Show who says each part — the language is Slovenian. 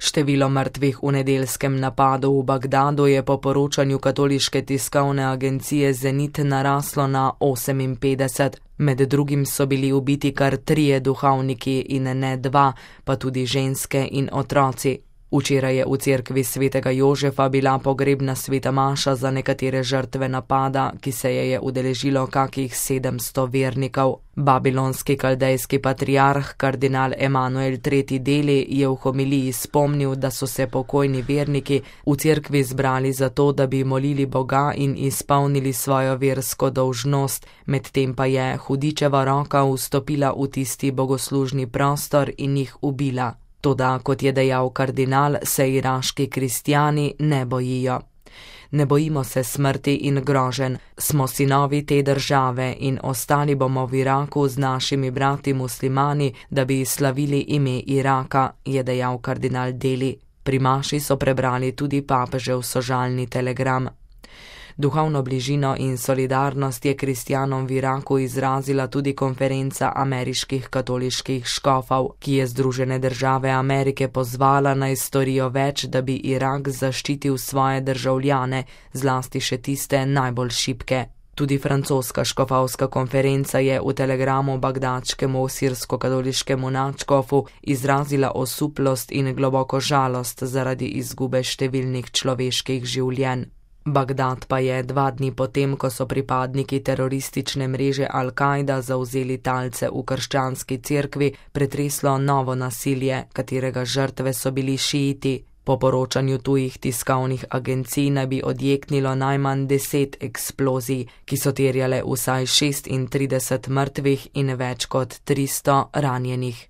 Speaker 1: Število mrtvih v nedeljskem napadu v Bagdadu je po poročanju katoliške tiskovne agencije Zenit naraslo na 58. Med drugim so bili ubiti kar 3 duhovniki in ne 2, pa tudi ženske in otroci. Včeraj je v cerkvi svetega Jožefa bila pogrebna sveta maša za nekatere žrtve napada, ki se je udeležilo kakih 700 vernikov. Babilonski kaldejski patriarh kardinal Emanuel III. Deli je v homiliji spomnil, da so se pokojni verniki v cerkvi zbrali zato, da bi molili Boga in izpolnili svojo versko dolžnost, medtem pa je hudičeva roka vstopila v tisti bogoslužni prostor in jih ubila. Toda, kot je dejal kardinal, se iraški kristjani ne bojijo. Ne bojimo se smrti in groženj, smo sinovi te države in ostali bomo v Iraku z našimi brati muslimani, da bi slavili ime Iraka, je dejal kardinal Deli. Pri maši so prebrali tudi papežev sožalni telegram. Duhovno bližino in solidarnost je kristjanom v Iraku izrazila tudi konferenca ameriških katoliških škofov, ki je Združene države Amerike pozvala naj storijo več, da bi Irak zaščitil svoje državljane, zlasti še tiste najbolj šibke. Tudi francoska škofovska konferenca je v telegramu bagdadskemu sirsko-katoliškemu nadškofu izrazila osuplost in globoko žalost zaradi izgube številnih človeških življenj. Bagdad pa je 2 dni potem, ko so pripadniki teroristične mreže Al-Kaida zavzeli talce v krščanski cerkvi, pretreslo novo nasilje, katerega žrtve so bili šiiti. Po poročanju tujih tiskovnih agencij naj bi odjeknilo najmanj 10 eksplozij, ki so terjale vsaj 36 mrtvih in več kot 300 ranjenih.